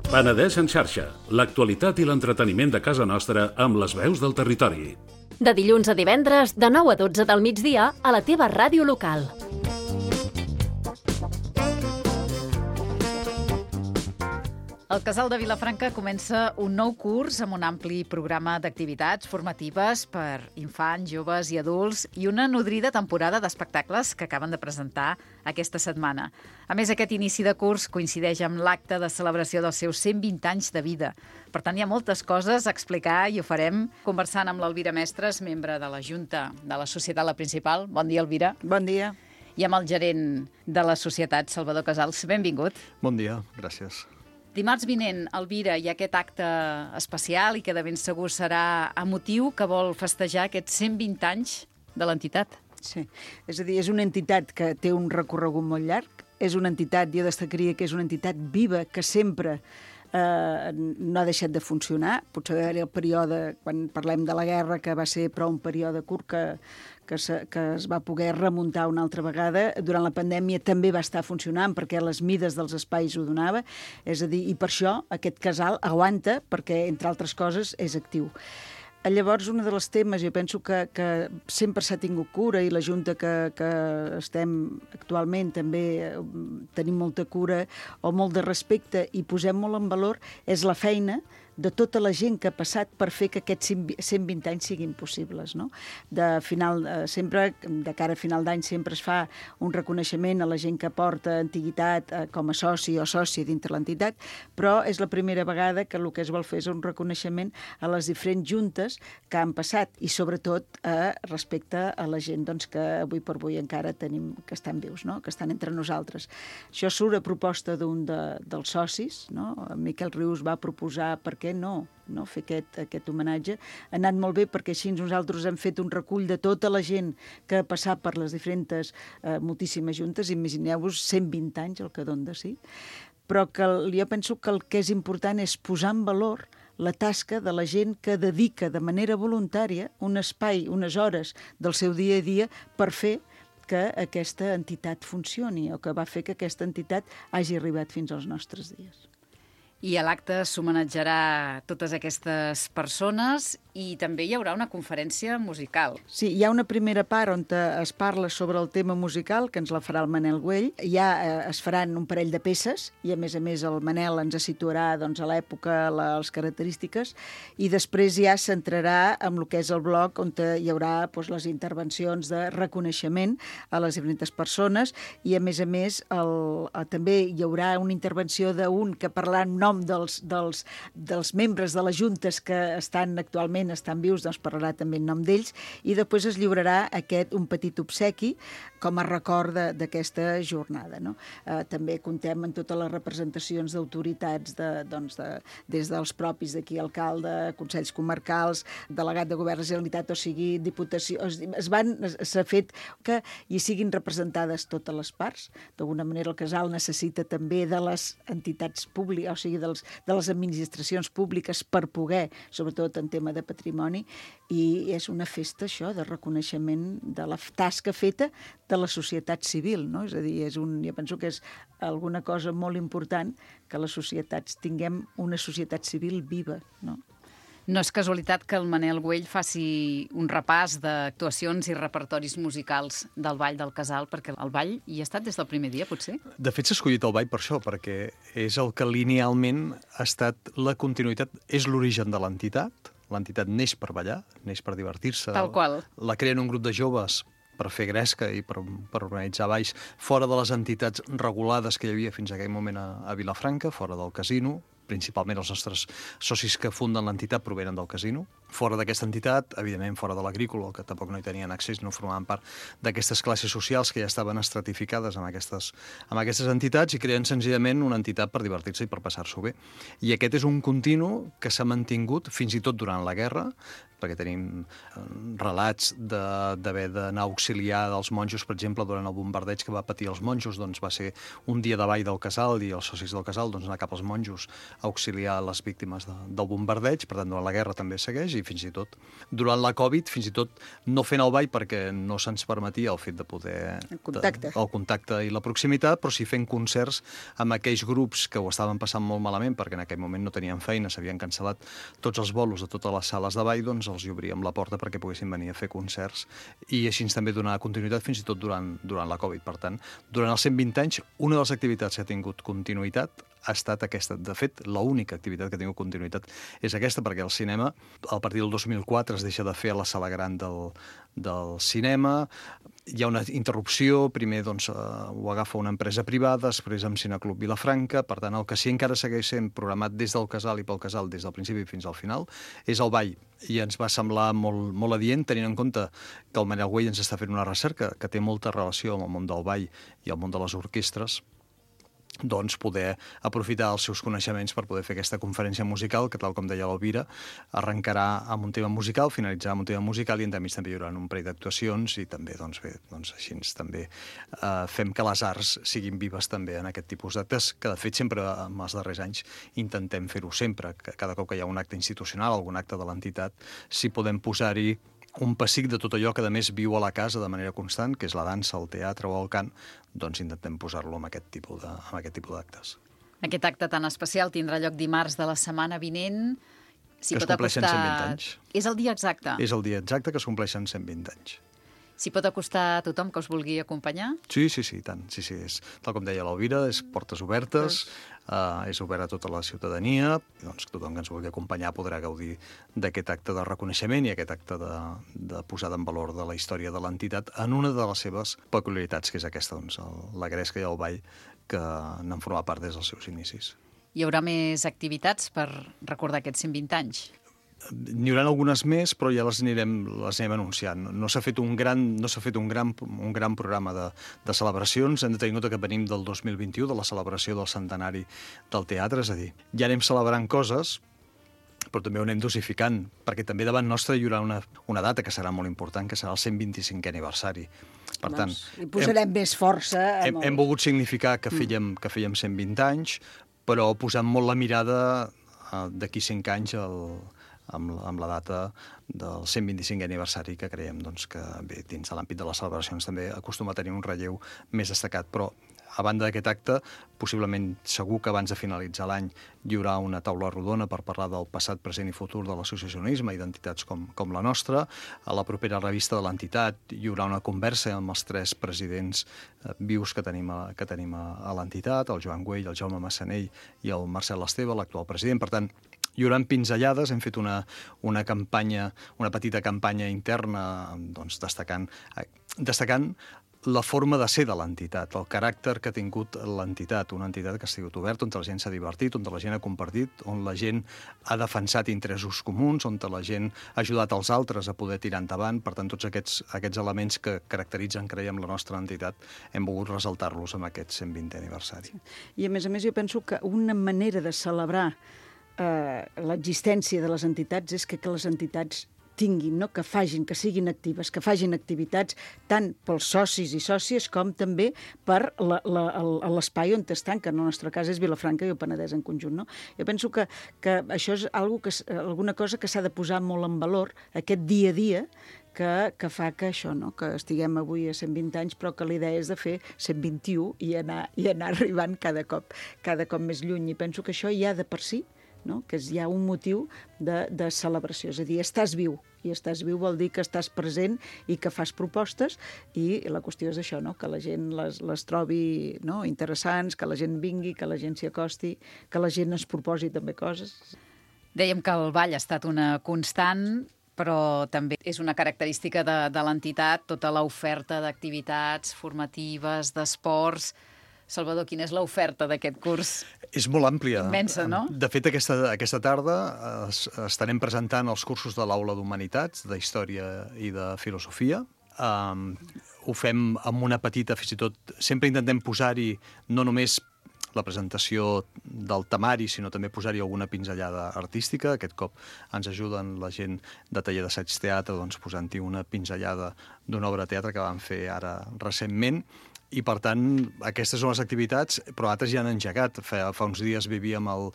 Penedès en xarxa, l'actualitat i l'entreteniment de casa nostra amb les veus del territori. De dilluns a divendres, de 9 a 12 del migdia, a la teva ràdio local. El Casal de Vilafranca comença un nou curs amb un ampli programa d'activitats formatives per infants, joves i adults i una nodrida temporada d'espectacles que acaben de presentar aquesta setmana. A més, aquest inici de curs coincideix amb l'acte de celebració dels seus 120 anys de vida. Per tant, hi ha moltes coses a explicar i ho farem conversant amb l'Elvira Mestres, membre de la Junta de la Societat La Principal. Bon dia, Elvira. Bon dia. I amb el gerent de la societat, Salvador Casals. Benvingut. Bon dia, gràcies. Dimarts vinent, Elvira, hi ha aquest acte especial i que de ben segur serà emotiu que vol festejar aquests 120 anys de l'entitat. Sí, és a dir, és una entitat que té un recorregut molt llarg, és una entitat, jo destacaria que és una entitat viva, que sempre no ha deixat de funcionar. Potser va haver-hi el període, quan parlem de la guerra, que va ser però un període curt que es va poder remuntar una altra vegada. Durant la pandèmia també va estar funcionant perquè les mides dels espais ho donava. És a dir, i per això aquest casal aguanta perquè, entre altres coses, és actiu. Llavors, un dels temes, jo penso que sempre s'ha tingut cura i la Junta que estem actualment també tenim molta cura o molt de respecte i posem molt en valor, és la feina de tota la gent que ha passat per fer que aquests 120 anys siguin possibles, no? Sempre, de cara a final d'any, sempre es fa un reconeixement a la gent que aporta antiguitat com a soci o sòcia dintre l'entitat, però és la primera vegada que el que es vol fer és un reconeixement a les diferents juntes que han passat i, sobretot, respecte a la gent que avui per avui encara tenim, que estan vius, no? Que estan entre nosaltres. Això surt a proposta d'un dels socis, no? Miquel Rius va proposar perquè no fer aquest homenatge. Ha anat molt bé perquè així nosaltres hem fet un recull de tota la gent que ha passat per les diferents moltíssimes juntes. Imagineu-vos 120 anys, el que dona de si. Però jo penso que el que és important és posar en valor la tasca de la gent que dedica de manera voluntària un espai, unes hores del seu dia a dia per fer que aquesta entitat funcioni o que va fer que aquesta entitat hagi arribat fins als nostres dies. I a l'acte s'homenatjarà totes aquestes persones i també hi haurà una conferència musical. Sí, hi ha una primera part on es parla sobre el tema musical, que ens la farà el Manel Güell. Ja es faran un parell de peces i, a més, el Manel ens situarà a l'època, les característiques, i després ja s'entrarà en el que és el bloc on hi haurà les intervencions de reconeixement a les diferents persones i, a més, també hi haurà una intervenció d'un que parlarà en nom dels membres de les juntes que actualment estan vius, doncs parlarà també en nom d'ells, i després es lliurarà un petit obsequi com a record d'aquesta jornada, no? També comptem en totes les representacions d'autoritats, des dels propis d'aquí, alcalde, consells comarcals, delegat de govern de la Generalitat, o sigui, diputació. S'ha fet que hi siguin representades totes les parts. D'alguna manera el casal necessita també de les entitats públiques, o sigui, de les administracions públiques per poder, sobretot en tema de patrimoni, i és una festa, això, de reconeixement de la tasca feta de la societat civil, no? És a dir, jo penso que és alguna cosa molt important que les societats tinguem una societat civil viva, no? No és casualitat que el Manel Güell faci un repàs d'actuacions i repertoris musicals del Ball del Casal, perquè el ball hi ha estat des del primer dia, potser? De fet, s'ha escollit el ball per això, perquè és el que linealment ha estat la continuïtat, és l'origen de l'entitat. L'entitat neix per ballar, neix per divertir-se. Tal qual. La creen un grup de joves per fer gresca i per organitzar balls fora de les entitats regulades que hi havia fins a aquell moment a Vilafranca, fora del casino. Principalment els nostres socis que funden l'entitat provenen del casino. fora d'aquesta entitat, evidentment fora de l'agrícola, que tampoc no hi tenien accés, no formaven part d'aquestes classes socials que ja estaven estratificades amb aquestes entitats i creen senzillament una entitat per divertir-se i per passar-s'ho bé. I aquest és un continu que s'ha mantingut fins i tot durant la guerra, perquè tenim relats d'haver d'anar a auxiliar dels monjos, per exemple, durant el bombardeig que va patir els monjos, doncs va ser un dia de ball del casal i els socis del casal doncs, anar cap als monjos a auxiliar les víctimes del bombardeig, per tant, durant la guerra també segueix, i fins i tot durant la Covid, fins i tot no fent el ball perquè no se'ns permetia el fet de poder... El contacte i la proximitat, però sí fent concerts amb aquells grups que ho estaven passant molt malament perquè en aquell moment no tenien feina, s'havien cancel·lat tots els bolos de totes les sales de ball, doncs els hi obríem la porta perquè poguessin venir a fer concerts i així també donar continuïtat fins i tot durant la Covid. Per tant, durant els 120 anys, una de les activitats que ha tingut continuïtat ha estat aquesta. De fet, l'única activitat que ha tingut continuïtat és aquesta, perquè el cinema, a partir del 2004, es deixa de fer a la sala gran del cinema, hi ha una interrupció, primer doncs, ho agafa una empresa privada, després amb Cineclub Vilafranca, per tant, el que sí encara segueix sent programat des del casal i pel casal des del principi fins al final és el ball, i ens va semblar molt adient, tenint en compte que el Manel Güell ens està fent una recerca que té molta relació amb el món del ball i el món de les orquestres, doncs poder aprofitar els seus coneixements per poder fer aquesta conferència musical que, tal com deia l'Elvira, arrencarà amb un tema musical, finalitzarà amb un tema musical i entremig també hi haurà un parell d'actuacions i també, doncs bé, així també fem que les arts siguin vives també en aquest tipus d'actes, que de fet sempre en els darrers anys intentem fer-ho sempre, que cada cop que hi ha un acte institucional, algun acte de l'entitat, si podem posar-hi un pessic de tot allò que a més viu a la casa de manera constant, que és la dansa, el teatre o el cant, doncs intentem posar-lo amb aquest tipus d'actes. Aquest acte tan especial tindrà lloc dimarts de la setmana vinent. Que es compleixen 120 anys. És el dia exacte? És el dia exacte que es compleixen 120 anys. S'hi pot acostar a tothom que us vulgui acompanyar? Sí, tant. Sí, és, tal com deia l'Elvira, és portes obertes, és obert a tota la ciutadania, doncs tothom que ens vulgui acompanyar podrà gaudir d'aquest acte de reconeixement i aquest acte de posada en valor de la història de l'entitat en una de les seves peculiaritats, que és aquesta, doncs, la gresca i el ball, que n'han format part des dels seus inicis. Hi haurà més activitats per recordar aquests 120 anys? N'hi haurà algunes més, però ja les anirem anunciant. No s'ha fet un gran programa de celebracions. Hem de tenir en compte que venim del 2021, de la celebració del centenari del teatre, és a dir, ja anem celebrant coses, però també ho anem dosificant, perquè també davant nostre hi haurà una data que serà molt important, que serà el 125è aniversari. Per tant, hi posarem més força. Hem volgut significar que fèiem 120 anys, però posant molt la mirada d'aquí 5 anys amb la data del 125è aniversari, que creiem doncs, que bé, dins de l'àmbit de les celebracions també acostuma a tenir un relleu més destacat. Però, a banda d'aquest acte, possiblement segur que abans de finalitzar l'any hi haurà una taula rodona per parlar del passat, present i futur de l'associacionisme i d'entitats com la nostra. A la propera revista de l'entitat hi haurà una conversa amb els 3 presidents vius que tenim a l'entitat, el Joan Güell, el Jaume Massanell i el Marcel Esteve, l'actual president. Per tant, hi haurà pinzellades, hem fet una petita campanya interna, doncs, destacant la forma de ser de l'entitat, el caràcter que ha tingut l'entitat, una entitat que ha sigut oberta, on la gent s'ha divertit, on la gent ha compartit, on la gent ha defensat interessos comuns, on la gent ha ajudat els altres a poder tirar endavant. Per tant, tots aquests elements que caracteritzen, creiem, la nostra entitat, hem volgut ressaltar-los amb aquest 120è aniversari. I a més, jo penso que una manera de celebrar l'existència de les entitats és que les entitats tinguin, no? Que siguin actives, que facin activitats tant pels socis i sòcies com també per l'espai on estan, que en el nostre cas és Vilafranca i el Penedès en conjunt. No? Jo penso que això és alguna cosa que s'ha de posar molt en valor, aquest dia a dia, que fa que això, no? Que estiguem avui a 120 anys, però que la idea és de fer 121 i anar arribant cada cop més lluny. I penso que això ja de per si, no? Que hi ha un motiu de celebració, és a dir, estàs viu, i estàs viu vol dir que estàs present i que fas propostes, i la qüestió és això, no? Que la gent les trobi, no? Interessants, que la gent vingui, que la gent s'hi acosti, que la gent es proposi també coses. Dèiem que el ball ha estat una constant, però també és una característica de l'entitat, tota l'oferta d'activitats formatives, d'esports. Salvador, quina és l'oferta d'aquest curs? És molt àmplia. Immensa, no? De fet, aquesta tarda estarem presentant els cursos de l'Aula d'Humanitats, d'Història i de Filosofia. Ho fem amb una petita, fins i tot, sempre intentem posar-hi no només la presentació del temari, sinó també posar-hi alguna pinzellada artística. Aquest cop ens ajuden la gent de taller d'assaig teatre, doncs, posant-hi una pinzellada d'una obra de teatre que vam fer ara recentment. I, per tant, aquestes són les activitats, però altres ja han engegat. Fa uns dies vivíem el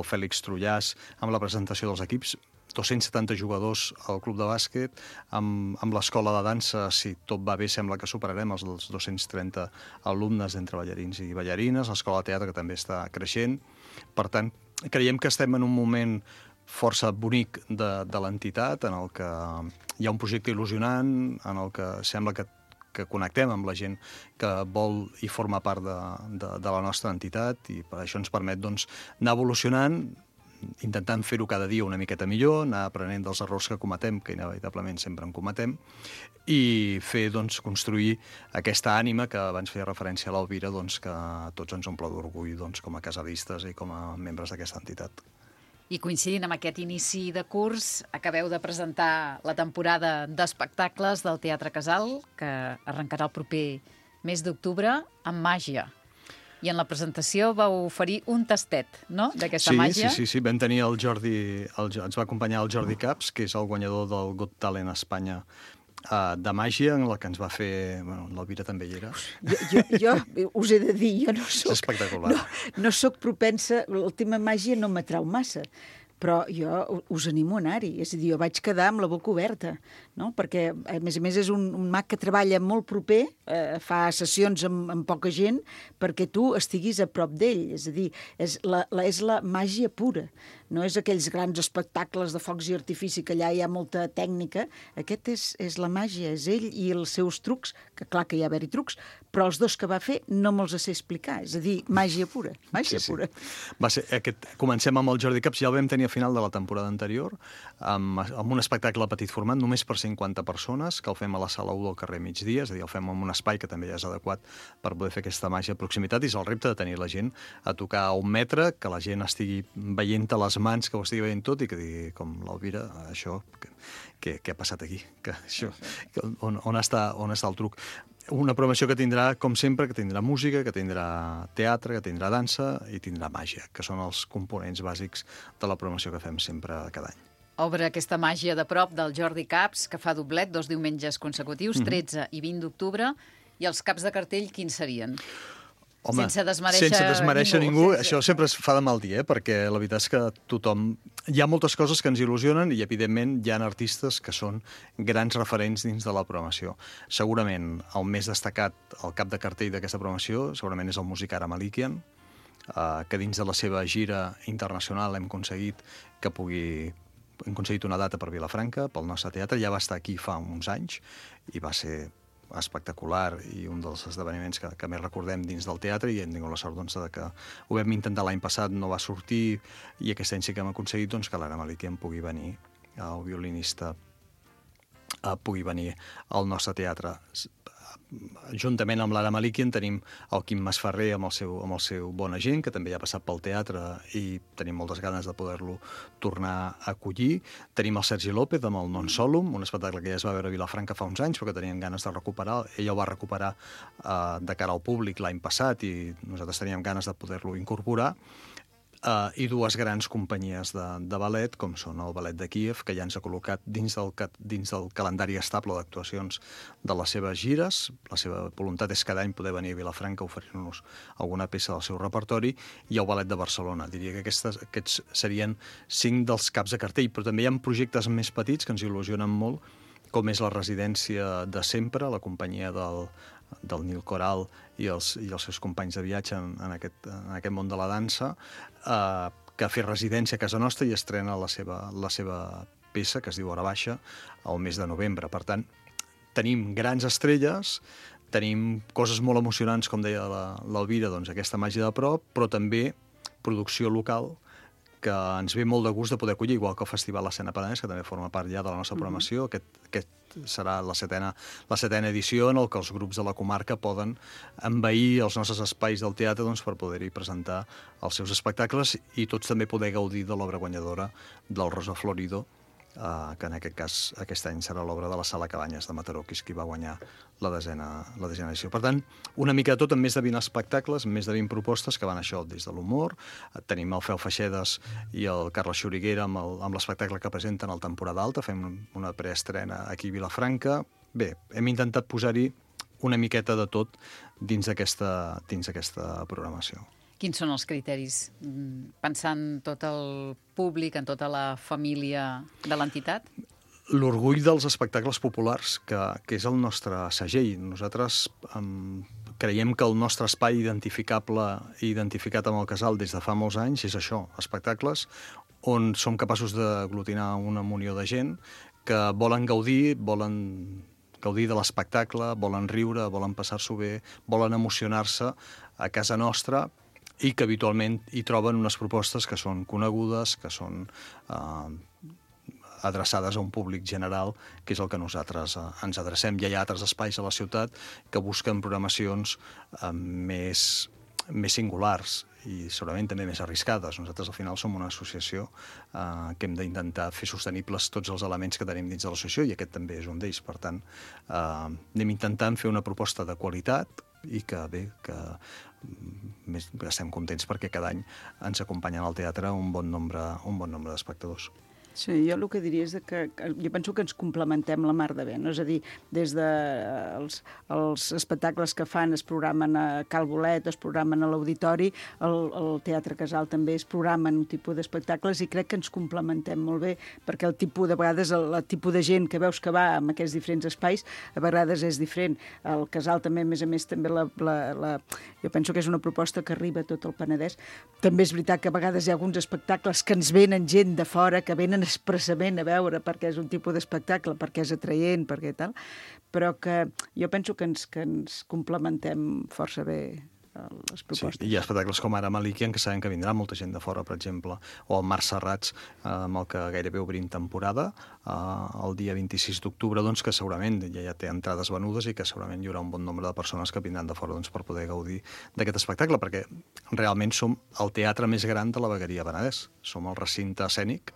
Fèlix Trullàs amb la presentació dels equips, 270 jugadors al club de bàsquet, amb l'escola de dansa, si tot va bé, sembla que superarem els 230 alumnes entre ballarins i ballarines, l'escola de teatre, que també està creixent. Per tant, creiem que estem en un moment força bonic de l'entitat, en el que hi ha un projecte il·lusionant, en el que sembla que connectem amb la gent que vol i forma part de la nostra entitat, i per això ens permet, doncs, anar evolucionant, intentant fer-ho cada dia una miqueta millor, anar aprenent dels errors que cometem, que inevitablement sempre en cometem, i fer, doncs, construir aquesta ànima que abans feia referència a l'Alvira, doncs, que a tots ens omple d'orgull, doncs, com a casalistes i com a membres d'aquesta entitat. I coincidint amb aquest inici de curs, acabeu de presentar la temporada d'espectacles del Teatre Casal, que arrencarà el proper mes d'octubre, amb màgia. I en la presentació vau oferir un tastet, no?, d'aquesta màgia. Sí. Vam tenir el Jordi, ens va acompanyar el Jordi Caps, que és el guanyador del Got Talent a Espanya de màgia, en la que ens va fer... Bueno, l'Alvira també hi era. Jo us he de dir, jo no soc... És espectacular. No soc propensa, el tema màgia no m'atrau massa, però jo us animo a anar-hi. És a dir, jo vaig quedar amb la boca oberta, no? Perquè, a més, és un mag que treballa molt proper, fa sessions amb poca gent, perquè tu estiguis a prop d'ell. És a dir, és la màgia pura. No és aquells grans espectacles de focs i artifici que allà hi ha molta tècnica. Aquest és la màgia, és ell i els seus trucs, que clar que hi ha haver-hi trucs, però els dos que va fer no me'ls sé explicar. És a dir, màgia pura, màgia pura. Comencem amb el Jordi Caps, ja el vam tenir a final de la temporada anterior, amb un espectacle a petit format, només per 50 persones, que el fem a la sala 1 del carrer Migdia, és a dir, el fem en un espai que també ja és adequat per poder fer aquesta màgia de proximitat, i és el repte de tenir la gent a tocar a 1 metre, que la gent estigui veient a les mans, que ho estigui veient tot, i que digui, com l'Alvira, això, què ha passat aquí? On està el truc? Una programació que tindrà, com sempre, que tindrà música, que tindrà teatre, que tindrà dansa i tindrà màgia, que són els components bàsics de la programació que fem sempre cada any. Obre aquesta màgia de prop del Jordi Caps, que fa doblet 2 diumenges consecutius, 13 i 20 d'octubre, i els caps de cartell quins serien? Home, sense desmereixer ningú. Això sempre es fa de mal dir, perquè la veritat és que tothom... Hi ha moltes coses que ens il·lusionen i, evidentment, hi ha artistes que són grans referents dins de la programació. Segurament, el més destacat, el cap de cartell d'aquesta programació, segurament és el músic Ara Malikian, que dins de la seva gira internacional hem aconseguit una data per Vilafranca, pel nostre teatre. Ja va estar aquí fa uns anys i va ser espectacular i un dels esdeveniments que més recordem dins del teatre, i hem tingut la sort, doncs, que ho vam intentar l'any passat, no va sortir, i aquest any sí que hem aconseguit, doncs, que l'Ara Malikian pugui venir, el violinista pugui venir al nostre teatre. Juntament amb l'Ara Malikian tenim el Quim Masferrer amb el seu Bona Gent, que també ja ha passat pel teatre i tenim moltes ganes de poder-lo tornar a acollir. Tenim el Sergi López amb el Non Solum, un espectacle que ja es va veure a Vilafranca fa uns anys, però que teníem ganes de recuperar. Ell el va recuperar de cara al públic l'any passat i nosaltres teníem ganes de poder-lo incorporar. I 2 grans companyies de ballet, com són el Ballet de Kíev, que ja ens ha col·locat dins del calendari estable d'actuacions de les seves gires. La seva voluntat és cada any poder venir a Vilafranca a oferir-nos alguna peça del seu repertori, i el Ballet de Barcelona. Diria que aquests serien 5 dels caps de cartell, però també hi ha projectes més petits que ens il·lusionen molt, com és la residència de sempre, la companyia del Nil Coral i els seus companys de viatge en aquest món de la dansa, que ha fet residència a casa nostra i estrena la seva peça, que es diu Hora Baixa, al mes de novembre. Per tant, tenim grans estrelles, tenim coses molt emocionants, com deia l'Alvira, doncs aquesta màgia de prop, però també producció local que ens ve molt de gust de poder acollir, igual que el Festival Escena Penedès, que també forma part ja de la nostra programació. Aquest serà la setena edició en el que els grups de la comarca poden envair els nostres espais del teatre per poder-hi presentar els seus espectacles i tots també poder gaudir de l'obra guanyadora del Rosa Florido, que en aquest cas aquest any serà l'obra de la Sala Cabanyes de Mataró, que és qui va guanyar la desena edició. Per tant, una mica de tot, amb més de 20 espectacles, més de 20 propostes que van això des de l'humor. Tenim el Fel Feixedes i el Carles Xuriguera amb l'espectacle que presenten al Temporada Alta, fem una preestrena aquí a Vilafranca. Bé, hem intentat posar-hi una miqueta de tot dins d'aquesta programació. Quins són els criteris? Pensant tot el públic, en tota la família de l'entitat? L'orgull dels espectacles populars, que és el nostre segell. Nosaltres creiem que el nostre espai identificable i identificat amb el Casal des de fa molts anys és això, espectacles on som capaços d'aglutinar una munió de gent que volen gaudir de l'espectacle, volen riure, volen passar-s'ho bé, volen emocionar-se a casa nostra, i que habitualment hi troben unes propostes que són conegudes, que són adreçades a un públic general, que és el que nosaltres ens adrecem. Ja hi ha altres espais a la ciutat que busquen programacions més singulars i segurament també més arriscades. Nosaltres al final som una associació que hem d'intentar fer sostenibles tots els elements que tenim dins de l'associació i aquest també és un d'ells. Per tant, anem intentant fer una proposta de qualitat i que estem contents perquè cada any ens acompanyen al teatre un bon nombre d'espectadors. Sí, jo el que diria és que jo penso que ens complementem la mar de bé, no? És a dir, des de els espectacles que fan es programen a Cal Bolet, es programen a l'Auditori, el Teatre Casal també es programen un tipus d'espectacles i crec que ens complementem molt bé, perquè el vegades el tipus de gent que veus que va en aquests diferents espais a vegades és diferent. El Casal també, a més també, jo penso que és una proposta que arriba a tot el Penedès. També és veritat que a vegades hi ha alguns espectacles que ens venen gent de fora, que venen expressament a veure perquè és un tipus d'espectacle, perquè és atraient, perquè tal, però que jo penso que ens complementem força bé les propostes. Sí, hi ha espectacles com ara Malikian, que sabem que vindrà molta gent de fora, per exemple, o el Mar Serrats, amb el que gairebé obrim temporada, el dia 26 d'octubre, doncs, que segurament ja té entrades venudes i que segurament hi haurà un bon nombre de persones que vindran de fora per poder gaudir d'aquest espectacle, perquè realment som el teatre més gran de la vegueria Penedès. Som el recinte escènic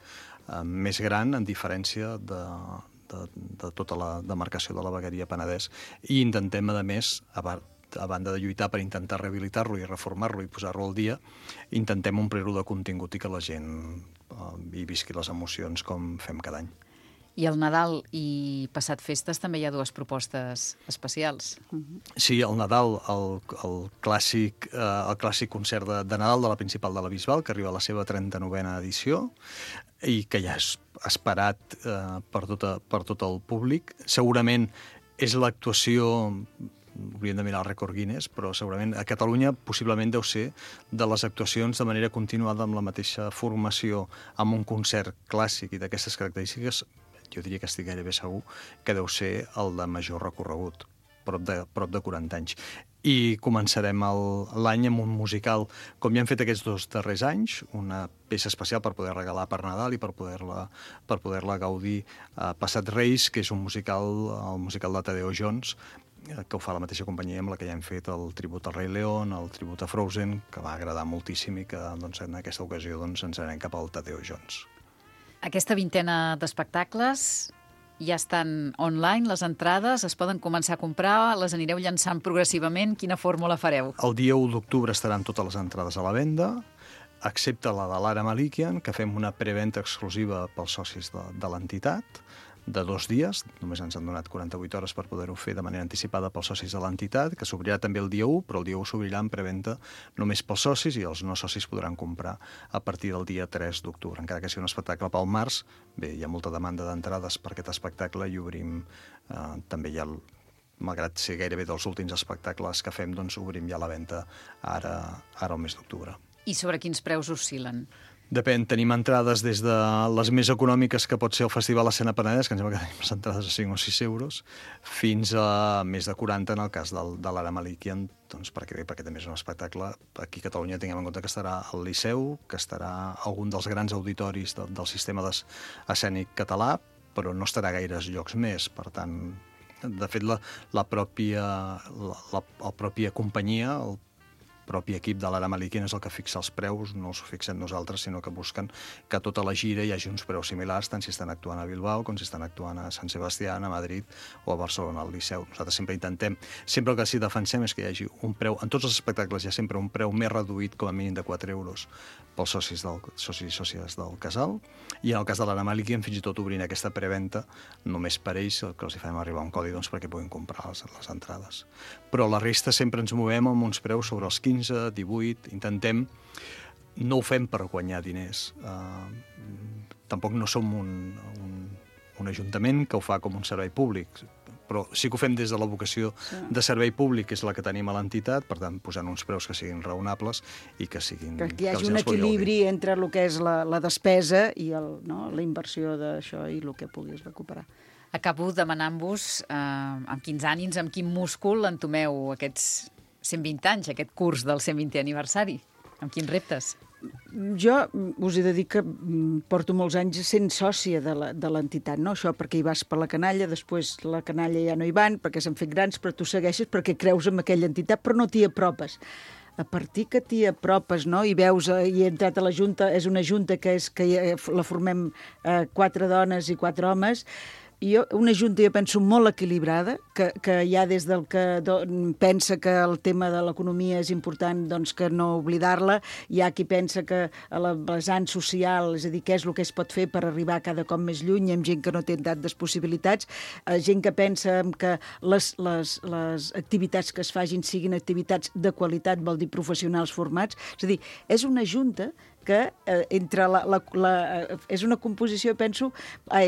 més gran en diferència de tota la demarcació de la vegueria Penedès i intentem, a més, a banda de lluitar per intentar rehabilitar-lo i reformar-lo i posar-lo al dia, intentem omplir-lo de contingut i que la gent hi visqui les emocions com fem cada any. I el Nadal i passat festes també hi ha dues propostes especials. Sí, el Nadal, el clàssic concert de Nadal de la Principal de la Bisbal, que arriba a la seva 39a edició i que ja és esperat per tot el públic. Segurament és l'actuació, hauríem de mirar el rècord Guinness, però segurament a Catalunya possiblement deu ser de les actuacions de manera continuada amb la mateixa formació, amb un concert clàssic i d'aquestes característiques. Jo diria que estic gairebé segur que deu ser el de major recorregut, prop de 40 anys. I començarem l'any amb un musical, com ja hem fet aquests 2 darrers anys, una peça especial per poder regalar per Nadal i per poder-la gaudir Passat Reis, que és un musical, el musical de Tadeo Jones, que ho fa la mateixa companyia amb la que ja hem fet el tribut al Rei León, el tribut a Frozen, que va agradar moltíssim i que en aquesta ocasió ens anem cap al Tadeo Jones. Aquesta vintena d'espectacles ja estan online, les entrades, es poden començar a comprar, les anireu llançant progressivament, quina fórmula fareu? El dia 1 d'octubre estaran totes les entrades a la venda, excepte la de l'Ara Malikian, que fem una preventa exclusiva pels socis de l'entitat, de 2 dies, només ens han donat 48 hores per poder-ho fer de manera anticipada pels socis de l'entitat, que s'obrirà també el dia 1, però el dia 1 s'obrirà en preventa només pels socis i els no socis podran comprar a partir del dia 3 d'octubre. Encara que sigui un espectacle pel març, bé, hi ha molta demanda d'entrades per aquest espectacle i obrim també ja, malgrat ser gairebé dels últims espectacles que fem, doncs obrim ja la venda ara al mes d'octubre. I sobre quins preus oscil·len? Depèn, tenim entrades des de les més econòmiques que pot ser el Festival Escena Penedès, que em sembla que tenim les entrades a 5 o 6 euros, fins a més de 40 en el cas de l'Ara Malikian, doncs perquè també és un espectacle. Aquí a Catalunya tinguem en compte que estarà al Liceu, que estarà algun dels grans auditoris del sistema escènic català, però no estarà a gaires llocs més. Per tant, de fet, la pròpia companyia, el propi equip de l'Ara Malikian és el que fixa els preus, no els fixem nosaltres, sinó que busquen que a tota la gira hi hagi uns preus similars, tant si estan actuant a Bilbao com si estan actuant a Sant Sebastián, a Madrid o a Barcelona, al Liceu. Nosaltres sempre intentem, sempre el que sí defensem és que hi hagi un preu, en tots els espectacles hi ha sempre un preu més reduït, com a mínim de 4 euros, pels socis i sòcies del casal, i en el cas de l'Ara Malikian fins i tot obrint aquesta preventa només per ells, que els hi fem arribar un codi perquè puguin comprar les entrades. Però la resta sempre ens movem amb uns preus sobre els 15, 18, intentem, no ho fem per guanyar diners, tampoc no som un ajuntament que ho fa com un servei públic, però sí que ho fem des de la vocació de servei públic, que és la que tenim a l'entitat, per tant, posant uns preus que siguin raonables i que siguin... Que hi hagi un equilibri entre el que és la despesa i la inversió d'això i el que puguis recuperar. Acabo demanant-vos amb quins ànims, amb quin múscul entomeu aquests 120 anys, aquest curs del 120è aniversari. Amb quins reptes? Jo us he de dir que porto molts anys sent sòcia de l'entitat, no? Això perquè hi vas per la canalla, després la canalla ja no hi van, perquè s'han fet grans, però tu segueixes perquè creus en aquella entitat, però no t'hi apropes. A partir que t'hi apropes, no? I veus, i he entrat a la Junta, és una Junta que la formem 4 dones i 4 homes, una Junta, jo penso, molt equilibrada, que hi ha des del que pensa que el tema de l'economia és important, doncs que no oblidar-la, hi ha qui pensa que a la vessant social, és a dir, què és el que es pot fer per arribar cada cop més lluny, amb gent que no té tantes possibilitats, gent que pensa que les activitats que es facin siguin activitats de qualitat, vol dir professionals formats, és a dir, és una Junta que entre és una composició, penso,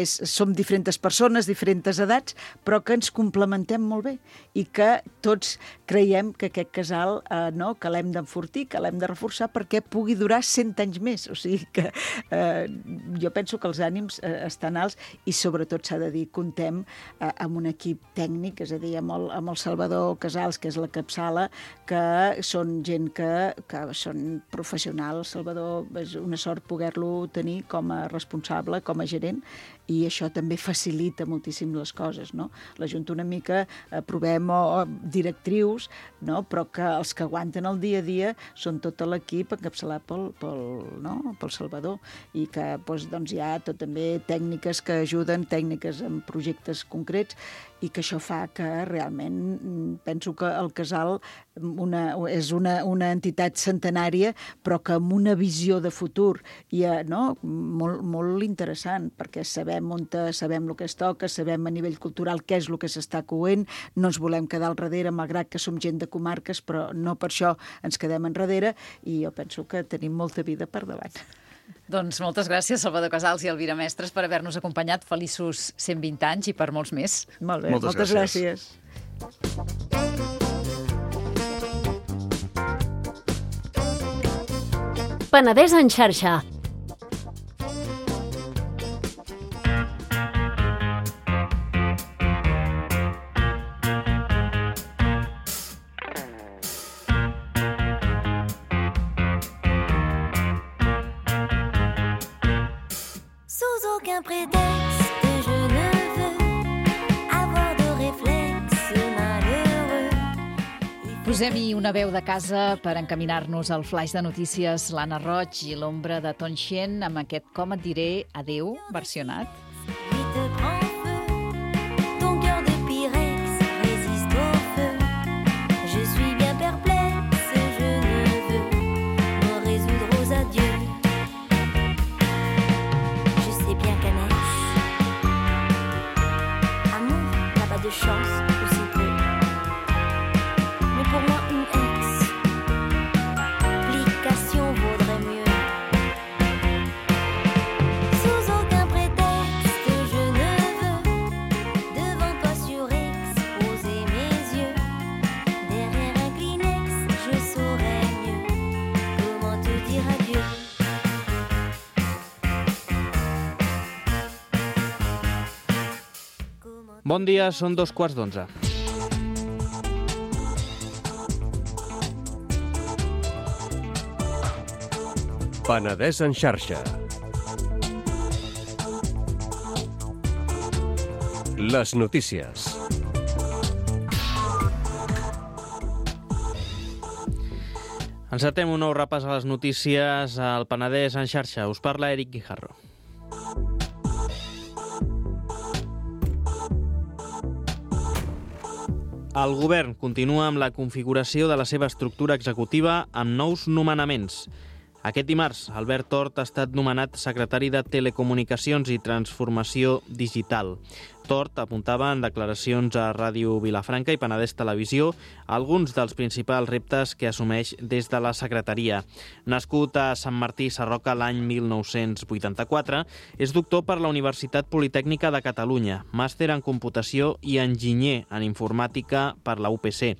som diferents persones, diferents edats, però que ens complementem molt bé i que tots creiem que aquest casal que l'hem d'enfortir, que l'hem de reforçar perquè pugui durar 100 anys més. O sigui que jo penso que els ànims estan alts i sobretot s'ha de dir, comptem amb un equip tècnic, és a dir, amb el Salvador Casals, que és la capçala, que són gent que són professionals. Salvador, és una sort poder-lo tenir com a responsable, com a gerent, i això també facilita moltíssim les coses, no? La Junta una mica aprovem directrius, no? Però que els que aguanten el dia a dia són tot l'equip encapçalat pel Salvador, i que doncs, hi ha tot també tècniques que ajuden, tècniques en projectes concrets, i que això fa que realment penso que el casal és una entitat centenària, però que amb una visió de futur i molt interessant, perquè sabem el que es toca, sabem a nivell cultural què és el que s'està coent, no ens volem quedar al darrere, malgrat que som gent de comarques, però no per això ens quedem enrere, i jo penso que tenim molta vida per davant. Doncs moltes gràcies, Salvador Casals i Elvira Mestres, per haver-nos acompanyat. Feliços 120 anys i per molts més. Molt bé, moltes gràcies. Penedès en xarxa. Posem-hi una veu de casa per encaminar-nos al flaix de notícies, l'Anna Roig i l'ombra de Ton Xien, amb aquest Com et diré adeu, versionat. Sous aucun prétexte, Bon dia, són 2:15. Penedès en xarxa. Les notícies. Encetem un nou repàs a les notícies al Penedès en xarxa. Us parla Eric Guijarro. El govern continua amb la configuració de la seva estructura executiva amb nous nomenaments. Aquest dimarts, Albert Tort ha estat nomenat secretari de Telecomunicacions i Transformació Digital. Tort apuntava en declaracions a Ràdio Vilafranca i Penedès Televisió alguns dels principals reptes que assumeix des de la secretaria. Nascut a Sant Martí Sarroca l'any 1984, és doctor per la Universitat Politècnica de Catalunya, màster en computació i enginyer en informàtica per la UPC.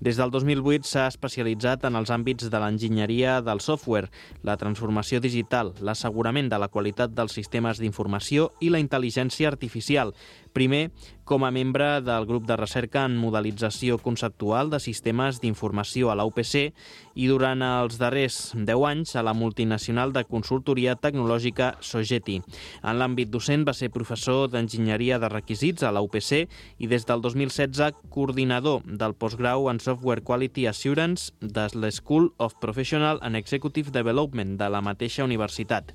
Des del 2008 s'ha especialitzat en els àmbits de l'enginyeria del software, la transformació digital, l'assegurament de la qualitat dels sistemes d'informació i la intel·ligència artificial. Primer, com a membre del grup de recerca en modelització conceptual de sistemes d'informació a la UPC i durant els darrers 10 anys a la multinacional de consultoria tecnològica Sogeti. En l'àmbit docent va ser professor d'enginyeria de requisits a la UPC i des del 2016 coordinador del postgrau en Software Quality Assurance de l'School of Professional and Executive Development de la mateixa universitat.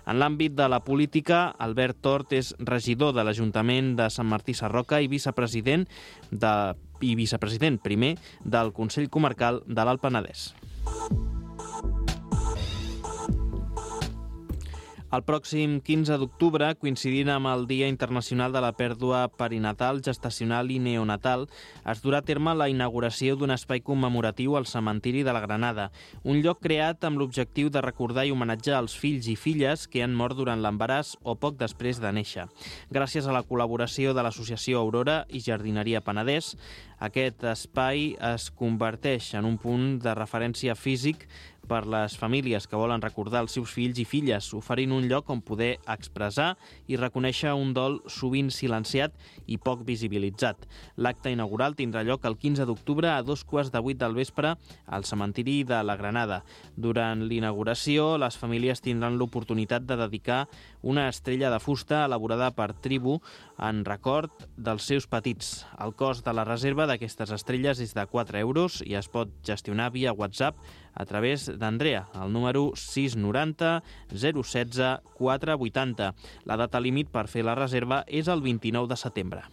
En l'àmbit de la política, Albert Tort és regidor de l'Ajuntament de Sant Martí Sarroca i vicepresident primer del Consell Comarcal de l'Alt Penedès. El pròxim 15 d'octubre, coincidint amb el Dia Internacional de la Pèrdua Perinatal, Gestacional i Neonatal, es durà a terme la inauguració d'un espai commemoratiu al cementiri de la Granada, un lloc creat amb l'objectiu de recordar i homenatjar els fills i filles que han mort durant l'embaràs o poc després de néixer. Gràcies a la col·laboració de l'Associació Aurora i Jardineria Penedès, aquest espai es converteix en un punt de referència físic per les famílies que volen recordar els seus fills i filles, oferint un lloc on poder expressar i reconèixer un dol sovint silenciat i poc visibilitzat. L'acte inaugural tindrà lloc el 15 d'octubre a 7:15 del vespre al cementiri de la Granada. Durant l'inauguració, les famílies tindran l'oportunitat de dedicar una estrella de fusta elaborada per Tribu en record dels seus petits. El cost de la reserva d'aquestes estrelles és de 4 euros i es pot gestionar via WhatsApp a través d'Andrea, al número 690 016 480. La data límit per fer la reserva és el 29 de setembre.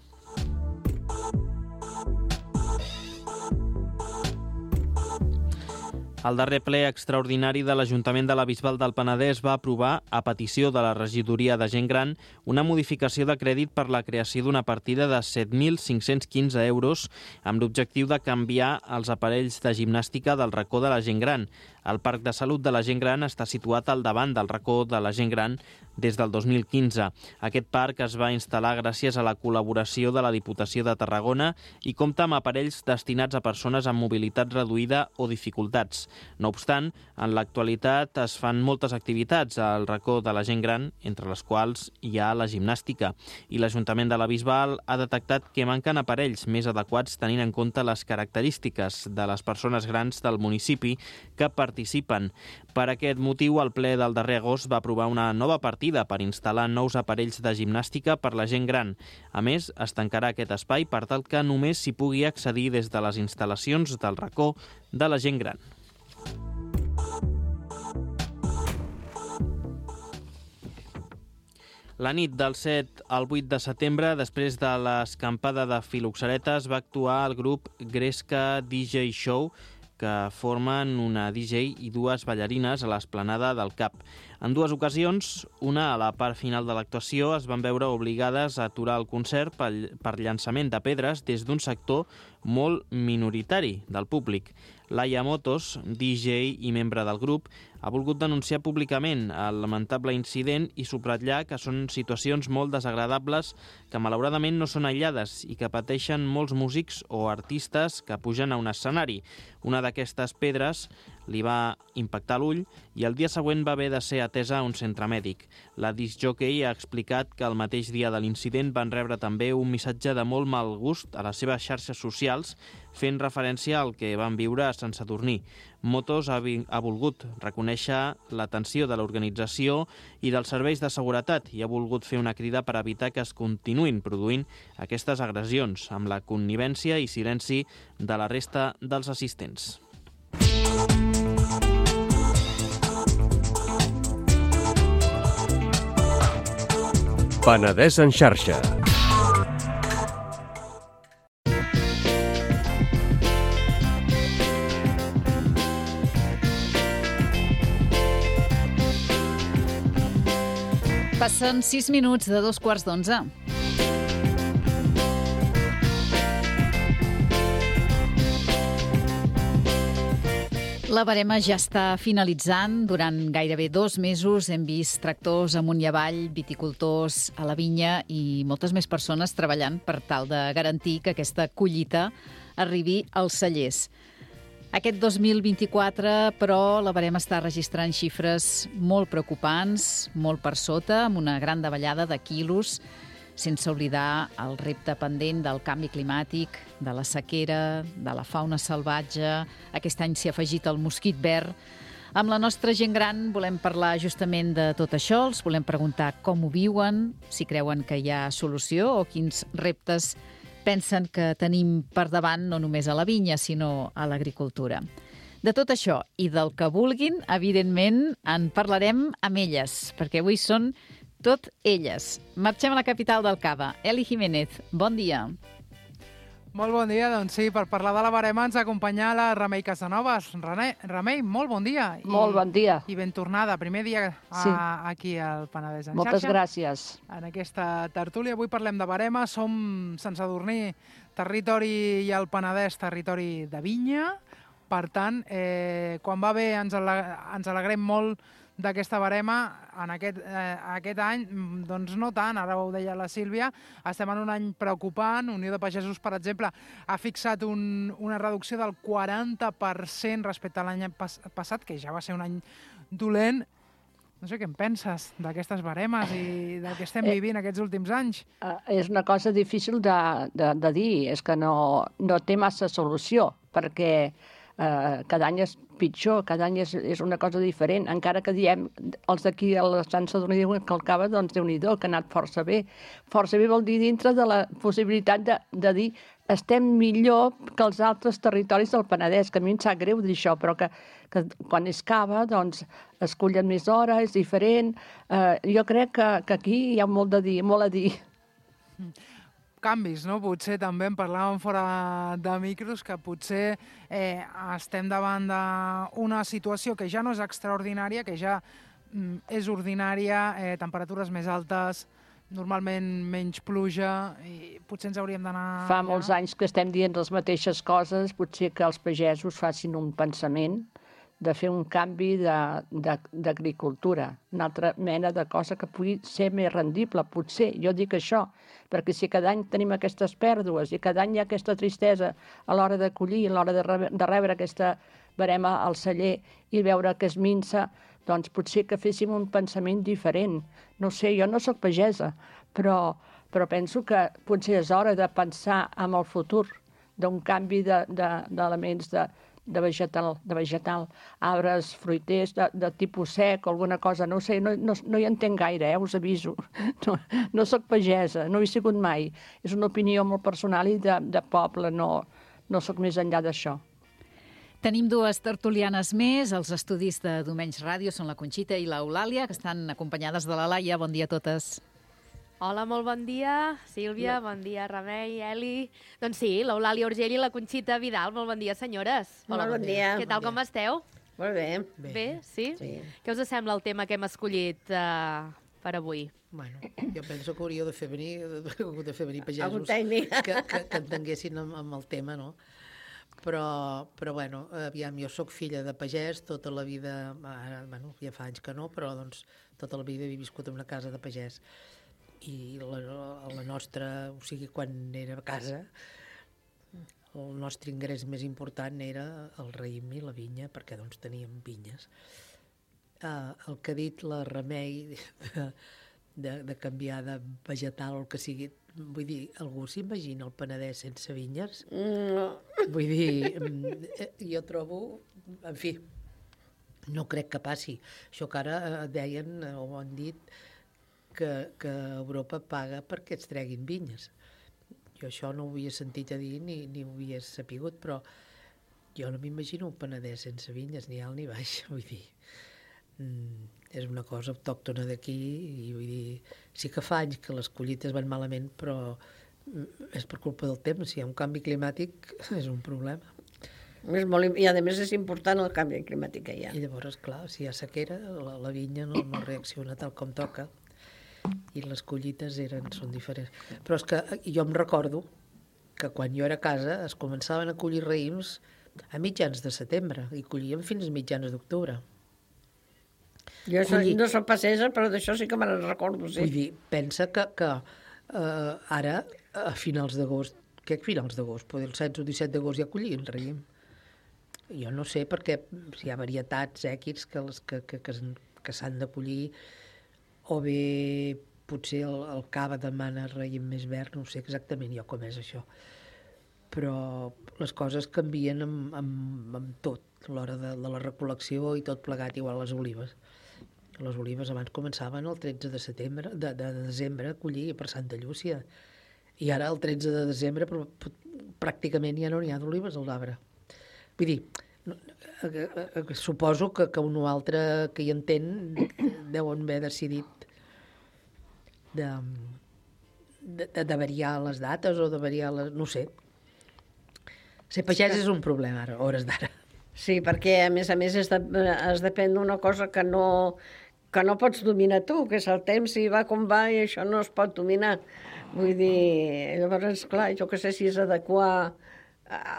El darrer ple extraordinari de l'Ajuntament de la Bisbal del Penedès va aprovar, a petició de la regidoria de gent gran, una modificació de crèdit per la creació d'una partida de 7.515 euros amb l'objectiu de canviar els aparells de gimnàstica del racó de la gent gran. El Parc de Salut de la Gent Gran està situat al davant del racó de la gent gran des del 2015. Aquest parc es va instal·lar gràcies a la col·laboració de la Diputació de Tarragona i compta amb aparells destinats a persones amb mobilitat reduïda o dificultats. No obstant, en l'actualitat es fan moltes activitats al racó de la gent gran, entre les quals hi ha la gimnàstica, i l'Ajuntament de la Bisbal ha detectat que manquen aparells més adequats tenint en compte les característiques de les persones grans del municipi que participen. Per aquest motiu, el ple del darrer agost va aprovar una nova partida per instal·lar nous aparells de gimnàstica per la gent gran. A més, es tancarà aquest espai per tal que només s'hi pugui accedir des de les instal·lacions del racó de la gent gran. La nit del 7 al 8 de setembre, després de l'escampada de filoxeretes, va actuar el grup Gresca DJ Show, que formen una DJ i dues ballarines a l'esplanada del CAP. En dues ocasions, una a la part final de l'actuació, es van veure obligades a aturar el concert per llançament de pedres des d'un sector molt minoritari del públic. Laia Motos, DJ i membre del grup, ha volgut denunciar públicament el lamentable incident i subratllar que són situacions molt desagradables que malauradament no són aïllades i que pateixen molts músics o artistes que pugen a un escenari. Una d'aquestes pedres li va impactar l'ull i el dia següent va haver de ser atesa a un centre mèdic. La discjòquei ha explicat que el mateix dia de l'incident van rebre també un missatge de molt mal gust a les seves xarxes socials, fent referència al que van viure a Sant Sadurní. Motos ha volgut reconèixer l'atenció de l'organització i dels serveis de seguretat i ha volgut fer una crida per evitar que es continuïn produint aquestes agressions, amb la connivència i silenci de la resta dels assistents. Penedès en xarxa. Passen 6 minuts de 2:15. La barema ja està finalitzant. Durant gairebé 2 mesos hem vist tractors amunt i avall, viticultors a la vinya i moltes més persones treballant per tal de garantir que aquesta collita arribi als cellers. Aquest 2024, però, la barema està registrant xifres molt preocupants, molt per sota, amb una gran davallada de quilos, sense oblidar el repte pendent del canvi climàtic, de la sequera, de la fauna salvatge. Aquest any s'hi ha afegit el mosquit verd. Amb la nostra gent gran volem parlar justament de tot això, els volem preguntar com ho viuen, si creuen que hi ha solució o quins reptes pensen que tenim per davant no només a la vinya, sinó a l'agricultura. De tot això i del que vulguin, evidentment, en parlarem amb elles, perquè avui són tot elles. Marxem a la capital del Cava. Eli Jiménez, bon dia. Molt bon dia, doncs sí, per parlar de la barema ens acompanya la Remei Casanovas. Remei, molt bon dia. Molt bon dia. I ben tornada. Primer dia aquí al Penedès en xarxa. Moltes gràcies. En aquesta tertúlia avui parlem de barema. Som Sant Sadurní, territori, i el Penedès, territori de vinya. Per tant, quan va bé ens alegrem molt d'aquesta barema. En aquest any, doncs no tant, ara ho deia la Sílvia, estem en un any preocupant. Unió de Pagesos, per exemple, ha fixat una reducció del 40% respecte a l'any passat, que ja va ser un any dolent. No sé què en penses d'aquestes baremes i del que estem vivint aquests últims anys. És una cosa difícil de dir, és que no té massa solució, perquè cada any és pitjor, cada any és una cosa diferent, encara que diem, els d'aquí a la Sant Sadurní diuen que el Cava, doncs Déu-n'hi-do, que ha anat força bé. Força bé vol dir dintre de la possibilitat de dir estem millor que els altres territoris del Penedès, que a mi em sap greu dir això, però que quan és Cava, doncs es cullen més hores, és diferent. Jo crec que aquí hi ha molt a dir. Canvis, no? Potser també en parlàvem fora de micros, que potser estem davant d'una situació que ja no és extraordinària, que ja és ordinària, temperatures més altes, normalment menys pluja, i potser ens hauríem d'anar... Fa molts anys que estem dient les mateixes coses, potser que els pagesos facin un pensament de fer un canvi d'agricultura, una altra mena de cosa que pugui ser més rendible, potser, jo dic això, perquè si cada any tenim aquestes pèrdues i cada any hi ha aquesta tristesa a l'hora de collir, a l'hora de rebre aquesta barema al celler i veure que es minsa, doncs potser que féssim un pensament diferent. No sé, jo no sóc pagesa, però penso que potser és hora de pensar en el futur, d'un canvi d'elements de vegetal, arbres, fruiters, de tipus sec o alguna cosa, no sé, no hi entenc gaire, us aviso. No soc pagesa, no hi he sigut mai. És una opinió molt personal i de poble, no soc més enllà d'això. Tenim 2 tertulianes més. Els estudis de Domenys Ràdio són la Conxita i l'Eulàlia, que estan acompanyades de la Laia. Bon dia a totes. Hola, molt bon dia, Sílvia, bon dia, Remei, Eli. Doncs sí, l'Eulàlia Urgell i la Conxita Vidal. Molt bon dia, senyores. Hola, bon dia. Què tal, com esteu? Molt bé. Bé, sí? Sí. Què us sembla el tema que hem escollit per avui? Bueno, jo penso que hauríeu de fer venir pagesos Algun tècnic. que entenguessin amb el tema, no? Però bueno, aviam, jo sóc filla de pagès, tota la vida, bueno, ja fa anys que no, però doncs tota la vida he viscut en una casa de pagès. I la nostra, o sigui, quan era a casa, el nostre ingrés més important era el raïm i la vinya, perquè doncs teníem vinyes. el que ha dit la Remei de canviar de vegetal o el que sigui, vull dir, algú s'imagina el Penedès sense vinyes? No. Vull dir, jo trobo, en fi, no crec que passi. Això que ara deien, o han dit, que Europa paga perquè es treguin vinyes. Jo això no ho havia sentit a dir ni ho havia sapigut, però jo no m'imagino un Penedès sense vinyes, ni alt ni baix, vull dir. És una cosa autòctona d'aquí i vull dir, sí que fa anys que les collites van malament, però és per culpa del temps. Si hi ha un canvi climàtic és un problema. I a més és important el canvi climàtic que hi ha. I llavors, clar, si hi ha sequera, la vinya no reacciona tal com toca i les collites són diferents. Però és que jo em recordo que quan jo era a casa es començaven a collir raïms a mitjans de setembre i collíem fins a mitjans d'octubre. Jo no soc passejera, però d'això sí que me'n recordo, sí. Vull dir, pensa que ara, a finals d'agost, què finals d'agost? Potser el 16 o 17 d'agost ja collien raïm. Jo no sé, perquè si hi ha varietats èquids que s'han de collir, o bé potser el cava demana raïm més verd, no sé exactament jo com és això. Però les coses canvien amb tot, a l'hora de la recol·lecció i tot plegat, igual les olives. Les olives abans començaven el 13 de desembre a collir per Santa Llúcia. I ara el 13 de desembre pràcticament ja no n'hi ha d'olives a l'arbre. Vull dir, suposo que un o altre que hi entén deuen haver decidit de variar les dates o de variar les... no sé. Ser pagès és un problema ara, a hores d'ara. Sí, perquè a més has de prendre una cosa que no pots dominar tu, que és el temps, i va com va, i això no es pot dominar. Vull dir, llavors, clar, jo que sé si és adequar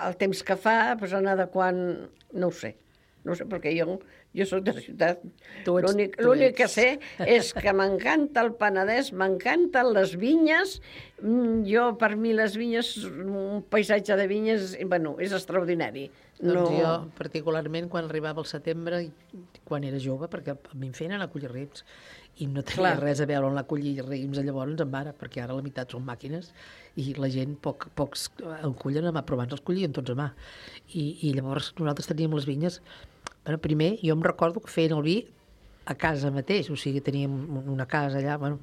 el temps que fa, doncs anar adequant, no ho sé, perquè jo soc de ciutat. L'únic que sé és que m'encanta el Penedès, m'encanten les vinyes. Jo, per mi, les vinyes, un paisatge de vinyes, bueno, és extraordinari. Doncs jo, particularment, quan arribava el setembre, quan era jove, perquè a mi em feien anar a collir raïms, i no tenia res a veure on la collir raïms llavors en mare, perquè ara la meitat són màquines, i la gent pocs en cullen a mà, però abans els collien tots a mà. I llavors nosaltres teníem les vinyes. Bueno, primer, jo em recordo que feien el vi a casa mateix, o sigui, teníem una casa allà, bueno,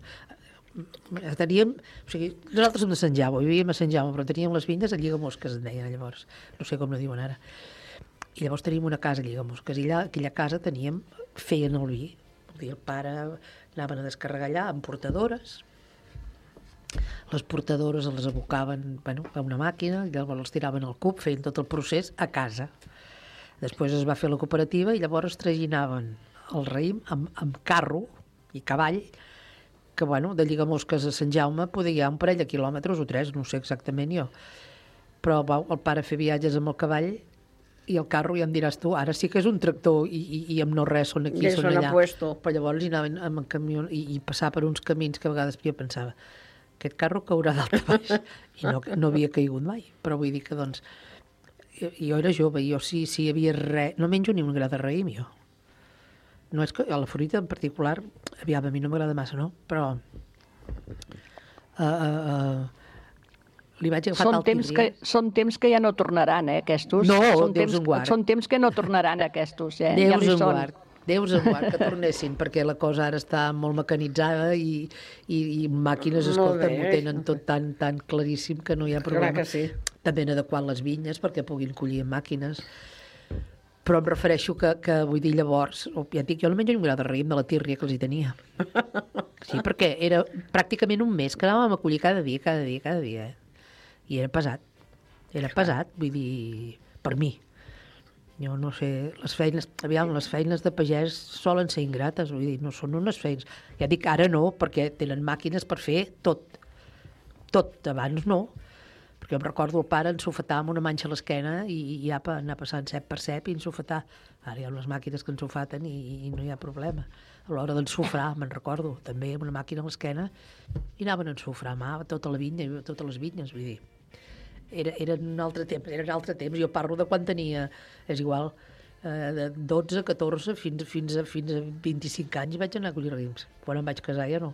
nosaltres som de Sant Jaume, vivíem a Sant Jaume, però teníem les vinyes a Lligamosques, en deien llavors, no sé com no diuen ara. I llavors teníem una casa a Lligamosques, i allà, aquella casa feien el vi. El pare anaven a descarregar allà amb portadores, les portadores les abocaven a una màquina, llavors els tiraven al cub, feien tot el procés a casa. Després es va fer la cooperativa i llavors traginaven el raïm amb carro i cavall, que de Lligamosques a Sant Jaume podia hi ha un parell de quilòmetres o 3, no sé exactament jo. Però el pare fer viatges amb el cavall i el carro, ja em diràs tu, ara sí que és un tractor i amb no res, són aquí, són allà. Però llavors hi anaven amb camió i passar per uns camins que a vegades jo pensava, aquest carro caurà dalt a baix, i no havia caigut mai. Però vull dir que, doncs, jo era jove, jo si hi havia res... No menjo ni un gra de raïm, jo. No és que a la fruita en particular, aviam, a mi no m'agrada massa, no? Però li vaig agafar tal tindria. Són temps que ja no tornaran, aquestos. No, Déus en guard. Són temps que no tornaran, aquestos, Déus en guard. Déus en guard que tornessin, perquè la cosa ara està molt mecanitzada i màquines, escolta, ho tenen tot tan claríssim que no hi ha problema. Clar que sí. També han adequat les vinyes perquè puguin collir màquines. Però em refereixo que vull dir llavors, ja et dic, jo no menjo ni un gra de raïm de la tírria que els hi tenia. Sí, perquè era pràcticament un mes que anàvem a collir cada dia. I era pesat, vull dir, per mi. Jo no sé, les feines de pagès solen ser ingrates, vull dir, no són unes feines. Ja dic, ara no, perquè tenen màquines per fer tot. Tot, abans no. Perquè em recordo el pare ensofetar amb una manxa a l'esquena i apa, anar passant cep per cep i ensofetar. Ara hi ha unes màquines que ensofaten i no hi ha problema. A l'hora d'ensofrar, me'n recordo, també amb una màquina a l'esquena i anaven a ensofrar a mà tota la vinya, totes les vinyes, vull dir. Era un altre temps, Jo parlo de quan tenia, és igual, de 12, 14, fins a 25 anys vaig anar a collir raïms. Quan em vaig casar ja no.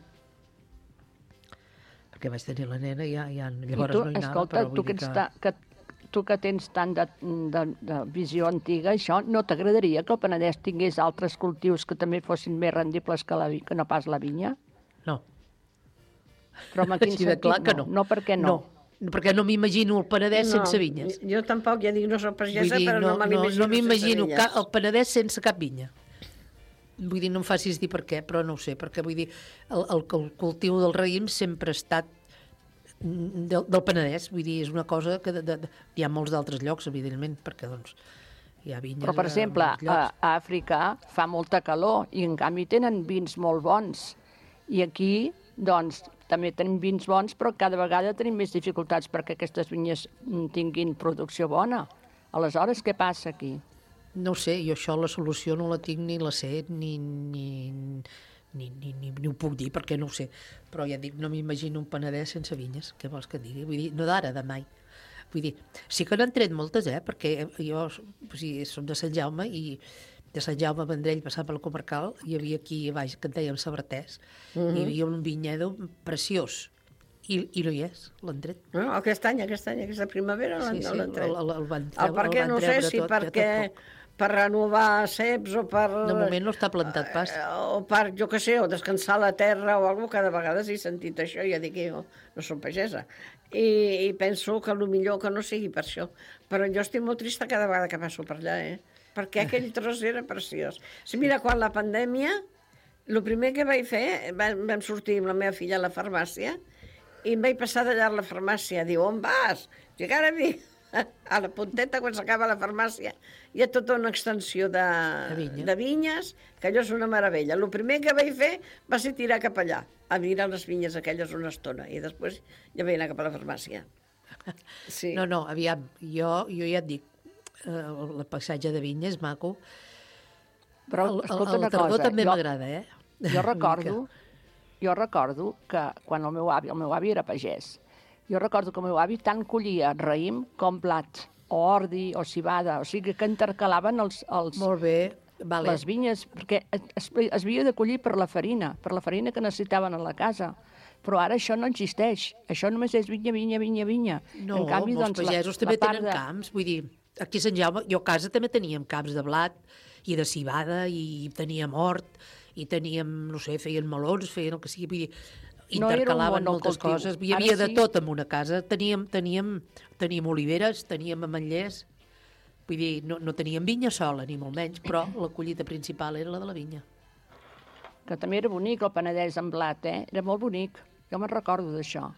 Perquè vaig tenir la nena i llavors no hi anava. Escolta, tu que tens tant de visió antiga, això no t'agradaria que el Penedès tingués altres cultius que també fossin més rendibles que no pas la vinya? No. Però en quin sentit no? No, per què no? No, perquè no m'imagino el Penedès sense vinyes. Jo tampoc, ja dic, no soc pagesa, però no me l'imagino no m'imagino el Penedès sense cap vinya. Vull dir, no em facis dir per què, però no ho sé, perquè vull dir, el cultiu del raïm sempre ha estat del Penedès, vull dir, és una cosa que hi ha molts d'altres llocs, evidentment, perquè doncs hi ha vinyes. Però, per exemple, a Àfrica fa molta calor i en canvi tenen vins molt bons. I aquí, doncs, també tenim vins bons, però cada vegada tenim més dificultats perquè aquestes vinyes tinguin producció bona. Aleshores, què passa aquí? No ho sé, jo això la solució no la tinc ni la sé, ni ho puc dir, perquè no ho sé. Però ja dic, no m'imagino un Penedès sense vinyes, què vols que et digui? Vull dir, no d'ara, de mai. Vull dir, sí que n'han tret moltes, perquè jo som de Sant Jaume i de Sant Jaume Vendrell passant pel Comarcal, hi havia aquí a baix que en dèiem Sabratés, i hi havia un vinyedo preciós, i no hi és, l'han tret. No, aquesta primavera l'han tret. El van per què no sé si perquè per renovar ceps o per... De moment no està plantat pas. O per, jo què sé, o descansar la terra o alguna cosa, cada vegada he sentit això, ja dic que jo no soc pagesa. I penso que millor que no sigui per això. Però jo estic molt trista cada vegada que passo per allà, perquè aquell tros era preciós. Sí, mira, quan la pandèmia, el primer que vaig fer, vam sortir amb la meva filla a la farmàcia i em vaig passar d'allà a la farmàcia. Diu, on vas? I encara a la punteta, quan s'acaba la farmàcia, hi ha tota una extensió de vinyes, que allò és una meravella. El primer que vaig fer va ser tirar cap allà, a mirar les vinyes aquelles una estona, i després ja vaig anar cap a la farmàcia. Sí. No, aviam, jo ja et dic, el paisatge de vinya és maco, però escolta una tardor cosa, també m'agrada, Jo recordo que quan el meu avi era pagès, jo recordo que el meu avi tant collia raïm com blat, o ordi, o civada, o sigui que intercalaven Molt bé, vale. Les vinyes, perquè es havia de collir per la farina que necessitaven a la casa. Però ara això no existeix. Això només és vinya. No, en canvi, molts pagesos també tenen camps. Vull dir, aquí a Sant Jaume, jo a casa també teníem camps de blat i de civada, i teníem hort, i teníem, no sé, feien melons, feien el que sigui, vull dir, intercalaven moltes coses. Hi havia de tot en una casa. Teníem oliveres, teníem ametllers. Vull dir, no teníem vinya sola, ni molt menys, però la collita principal era la de la vinya. Que també era bonic el Penedès amb blat, Era molt bonic. Jo me'n recordo d'això.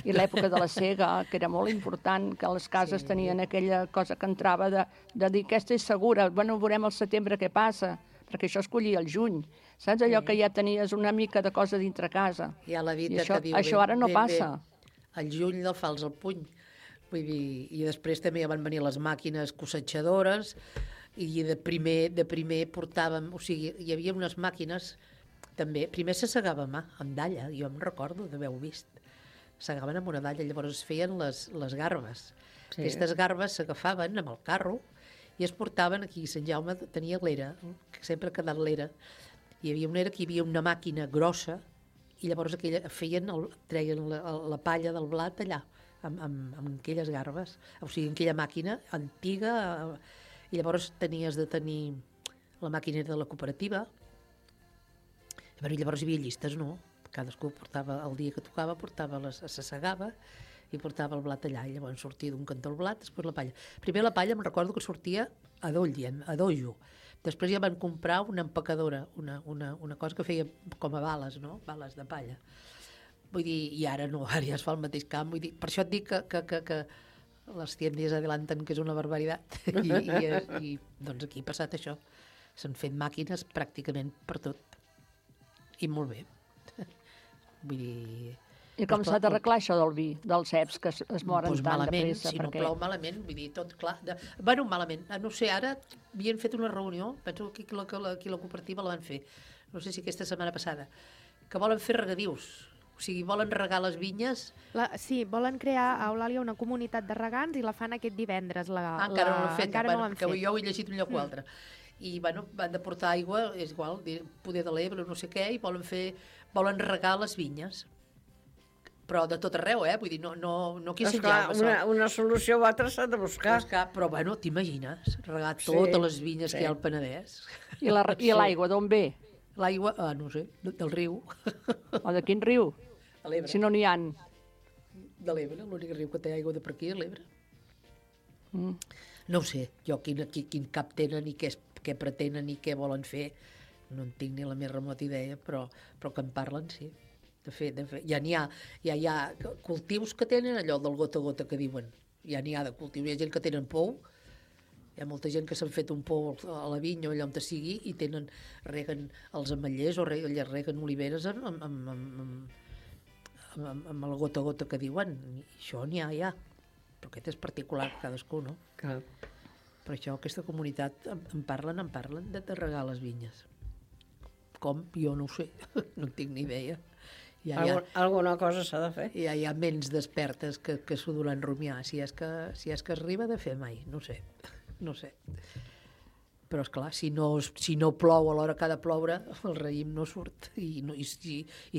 I l'època de la sega, que era molt important, que les cases tenien aquella cosa que entrava de dir, aquesta és segura, bueno, veurem al setembre què passa, perquè això es collia al juny. Saps allò que ja tenies una mica de cosa dintre casa? Ja la dita que diu, això ara no passa. Al juny del fals al puny. Vull dir, i després també van venir les màquines cossetxadores i de primer portàvem, o sigui, hi havia unes màquines també, primer se segava a mà, amb dalla, jo em recordo d'haver-ho vist. Segaven amb una dalla, llavors es feien les garbes. Sí. Aquestes garbes s'agafaven amb el carro i es portaven aquí. Sant Jaume tenia l'era, que sempre ha quedat l'era. Hi havia una era que hi havia una màquina grossa i llavors treien la palla del blat allà, amb aquelles garbes, o sigui, en aquella màquina antiga, i llavors tenies de tenir la màquina de la cooperativa. I llavors hi havia llistes, no? Cadascú portava, el dia que tocava, se segava i portava el blat allà, i llavors sortia d'un cantó el blat, després la palla. Primer la palla em recordo que sortia a dojo. Després ja van comprar una empacadora, una cosa que feia com a bales, no? Bales de palla. Vull dir, i ara no, ara ja es fa el mateix camp. Vull dir, per això et dic que les tiendes adelanten que és una barbaritat. I doncs aquí ha passat això. S'han fet màquines pràcticament per tot. I molt bé. Vull dir... I com s'ha d'arreglar això del vi, dels ceps, que es moren tan de pressa? Si no plou malament, vull dir, tot clar... Bueno, malament, no sé, ara havien fet una reunió, penso que aquí la cooperativa la van fer, no sé si aquesta setmana passada, que volen fer regadius, o sigui, volen regar les vinyes... Sí, volen crear a Eulàlia una comunitat de regants i la fan aquest divendres. Encara no l'han fet, perquè jo ho he llegit un lloc o altre. i bueno, van de portar aigua, és igual, poder de l'Ebre, no sé què, i volen regar les vinyes. Però de tot arreu, vull dir, no aquí a Sant Jaume. Una solució o altra s'ha de buscar. Però bueno, t'imagines, regar totes les vinyes que hi ha al Penedès. I l'aigua d'on ve? L'aigua, no sé, del riu. O de quin riu? A l'Ebre. Si no n'hi ha. De l'Ebre, l'únic riu que té aigua de per aquí és l'Ebre. No ho sé, jo quin cap tenen i què pretenen i què volen fer, no en tinc ni la més remota idea, però que en parlen, sí. De fet, ja n'hi ha cultius que tenen allò del gota a gota que diuen. Ja n'hi ha de cultius. Hi ha gent que tenen pou, hi ha molta gent que s'han fet un pou a la vinya o allà on sigui i reguen els ametllers o reguen oliveres amb el gota a gota que diuen. I això n'hi ha, ja. Però aquest és particular, cadascú, no? Clar. Per això aquesta comunitat en parlen de regar les vinyes. Com? Jo no ho sé, no en tinc ni idea. Alguna cosa s'ha de fer. Ja hi ha ments despertes que s'ho duran rumiar, si és que es arriba de fer mai, no sé. Però, esclar, si no plou a l'hora que ha de ploure, el raïm no surt, i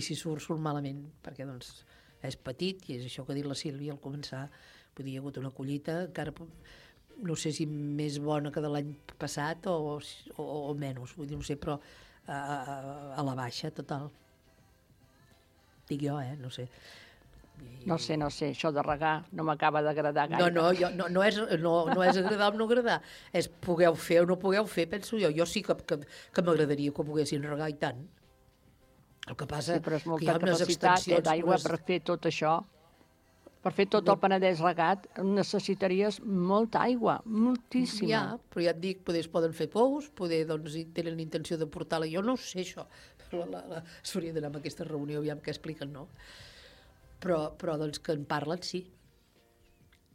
si surt malament, perquè doncs és petit, i és això que ha dit la Sílvia al començar, vull dir, hi ha hagut una collita, encara no sé si més bona que de l'any passat o menys, vull dir, no sé, però a la baixa, total. Dic jo, no sé. No sé, això de regar no m'acaba d'agradar gaire. No és agradar o no agradar, és pugueu fer o no pugueu fer, penso jo. Jo sí que m'agradaria que ho poguessin regar i tant. El que passa però és que hi ha unes capacitat d'aigua per fer tot això. Per fer tot el Penedès regat necessitaries molta aigua, moltíssima. Ja, però ja et dic, es poden fer pous, doncs tenen intenció de portar-la. Jo no ho sé, això. S'hauria d'anar a aquesta reunió, aviam què expliquen, no? Però doncs que en parlen, sí.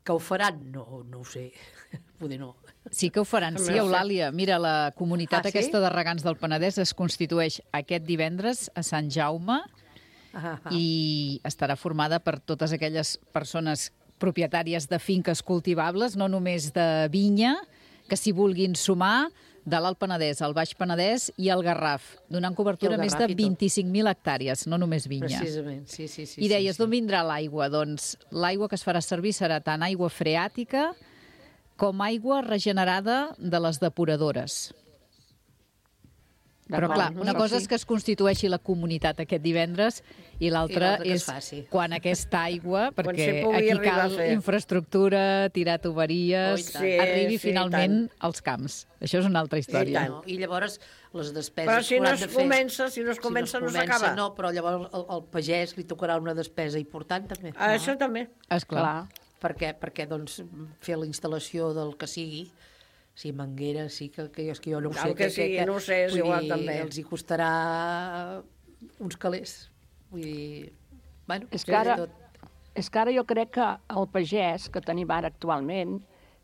Que ho faran? No ho sé. Poder no. Sí que ho faran, sí, Eulàlia. Mira, la comunitat aquesta de regants del Penedès es constitueix aquest divendres a Sant Jaume i estarà formada per totes aquelles persones propietàries de finques cultivables, no només de vinya, que s'hi vulguin sumar de l'Alt Penedès, el Baix Penedès i el Garraf, donant cobertura a més de 25.000 hectàrees, no només vinya. Precisament, sí. I deies, d'on vindrà l'aigua? Doncs l'aigua que es farà servir serà tant aigua freàtica com aigua regenerada de les depuradores. Però clar, una cosa és que es constitueixi la comunitat aquest divendres i l'altra és quan aquesta aigua, perquè aquí cal infraestructura, tirar tuberies, arribi finalment als camps. Això és una altra història. I llavors les despeses... Però si no es comença no s'acaba. No, però llavors al pagès li tocarà una despesa important també. Això també. Esclar. Perquè doncs fer la instal·lació del que sigui, si Manguera, sí que jo no ho sé. El que sigui, no ho sé, és igual també. Els hi costarà uns calés. Vull dir, bueno... És que ara jo crec que el pagès que tenim ara actualment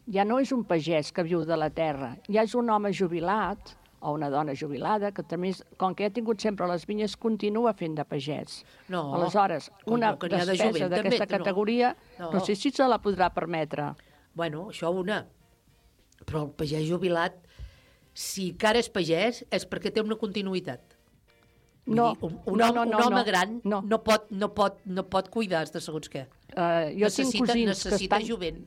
ja no és un pagès que viu de la terra, ja és un home jubilat o una dona jubilada que també, com que ha tingut sempre les vinyes, continua fent de pagès. Aleshores, una despesa d'aquesta categoria no sé si se la podrà permetre. Bueno, això una... Però el pagès jubilat, si encara és pagès, és perquè té una continuïtat. Un home gran no pot cuidar de segons què. Necessita jovent.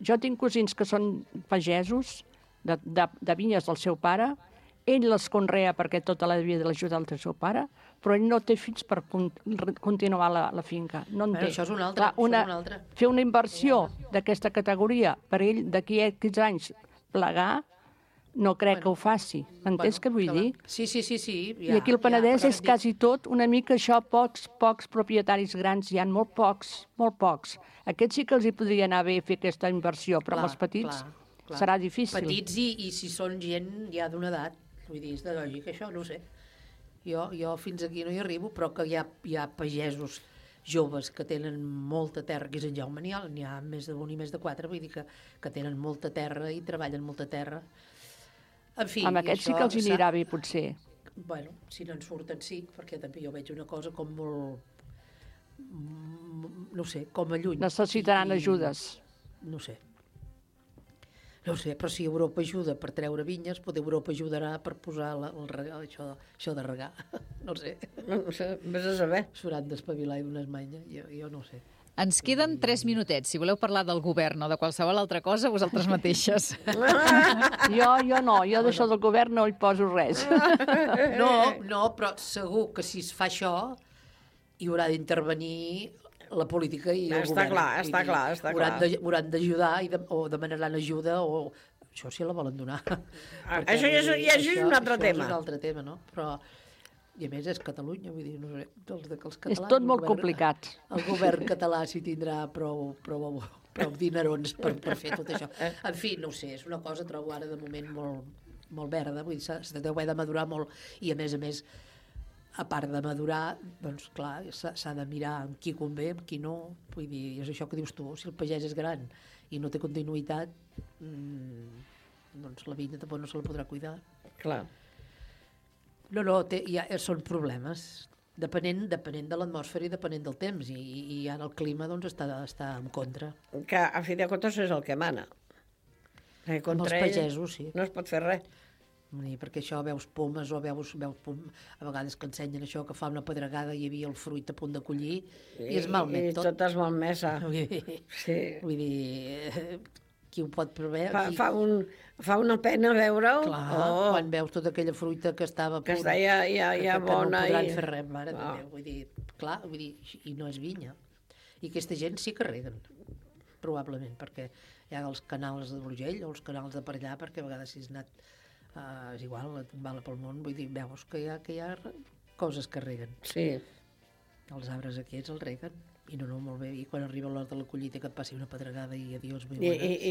Jo tinc cosins que són pagesos de vinyes del seu pare, ell les conrea perquè tota la vida l'ajuda del seu pare, però ell no té fills per continuar la finca. No en té. Això és un altre. Fer una inversió d'aquesta categoria per ell d'aquí a 15 anys plegar, no crec que ho faci. Entens què vull dir? Sí. I aquí el Penedès és quasi tot una mica això, pocs propietaris grans, hi ha molt pocs. Aquests sí que els hi podria anar bé fer aquesta inversió, però amb els petits serà difícil. Petits i si són gent ja d'una edat, vull dir, és de lògica això, no ho sé. Jo fins aquí no hi arribo, però que hi ha pagesos joves que tenen molta terra, aquí a Sant Jaume n'hi ha més d'un i més de 4, vull dir que tenen molta terra i treballen molta terra. En fi, amb aquests sí que els anirà bé, potser. Bueno, si no en surten sí, perquè també jo veig una cosa com molt, no sé, com a lluny. Necessitaran ajudes. No sé. No ho sé, però si Europa ajuda per treure vinyes, potser Europa ajudarà per posar això de regar. No ho sé. No sé, vés a saber. S'hauran d'espavilar i donar esmanya, jo no ho sé. Ens queden 3 minutets. Si voleu parlar del govern o de qualsevol altra cosa, vosaltres mateixes. Jo no, jo d'això del govern no hi poso res. No, però segur que si es fa això hi haurà d'intervenir la política i el govern. Està clar. Hauran d'ajudar o demanaran ajuda o... Això sí la volen donar. Això ja és un altre tema. Això és un altre tema, no? Però... I a més és Catalunya, vull dir, no sé, els catalans... És tot molt complicat. El govern català s'hi tindrà prou dinerons per fer tot això. En fi, no ho sé, és una cosa, trobo ara de moment molt verda, vull dir, s'ha de madurar molt i a més, a part de madurar, doncs clar, s'ha de mirar amb qui convé, amb qui no, vull dir, és això que dius tu, si el pagès és gran i no té continuïtat, doncs la vinya tampoc no se la podrà cuidar. Clar. No, són problemes, depenent de l'atmosfera i depenent del temps, i ara el clima doncs, està en contra. Que a fi de comptes és el que mana. Amb els pagesos, sí. No es pot fer res. Perquè això veus pomes o veus a vegades que ensenyen això, que fa una pedregada i hi havia el fruit a punt de collir, i es malmet tot. I tot es malmesa. Vull dir, qui ho pot preveure... Fa una pena veure-ho. Clar, quan veus tota aquella fruita que estava a punt... Que està ja bona. Que no podran fer res, mare de Déu. Vull dir, clar, i no és vinya. I aquesta gent sí que reguen, probablement, perquè hi ha els canals de Brugell o els canals de per allà, perquè a vegades si has anat... és igual, a tombar-la pel món, vull dir, veus que hi ha coses que reguen. Sí. Els arbres aquests els reguen. I no, molt bé, i quan arriba l'hora de la collita que et passi una pedregada i adiós, muy buenas.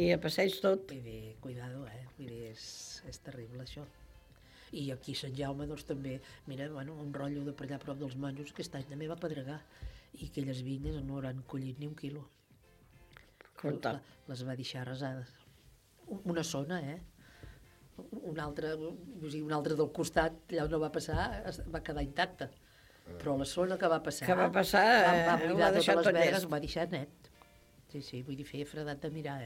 I a passeig tot. Vull dir, cuidado, vull dir, és terrible això. I aquí a Sant Jaume, doncs també, mira, un rotllo de per allà a prop dels monjos, aquest any també va pedregar, i aquelles vinyes no hauran collit ni 1 quilo. Les va deixar arrasades. Una zona, una altra del costat, allà on no va passar, va quedar intacta. Però la zona que va passar... va buidar deixar totes les tot vegues, ho va deixar net. Sí, vull dir, feia fredat de mirar,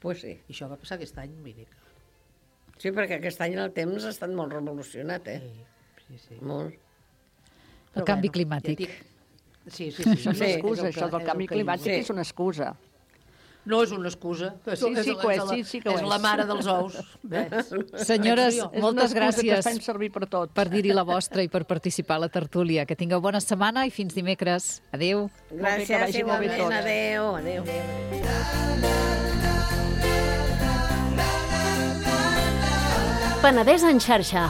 Pues sí. I això va passar aquest any, vull dir que... Sí, perquè aquest any el temps ha estat molt revolucionat, Sí. Molt. El canvi climàtic. Sí. És una excusa, això del canvi climàtic és una excusa. No és una excusa. Sí que ho és. És la mare dels ous. Senyores, moltes gràcies que fem servir per tot. Per dir-hi la vostra i per participar a la tertúlia. Que tingueu bona setmana i fins dimecres. Adéu. Gràcies, igualment. Adéu. Penedès en xarxa.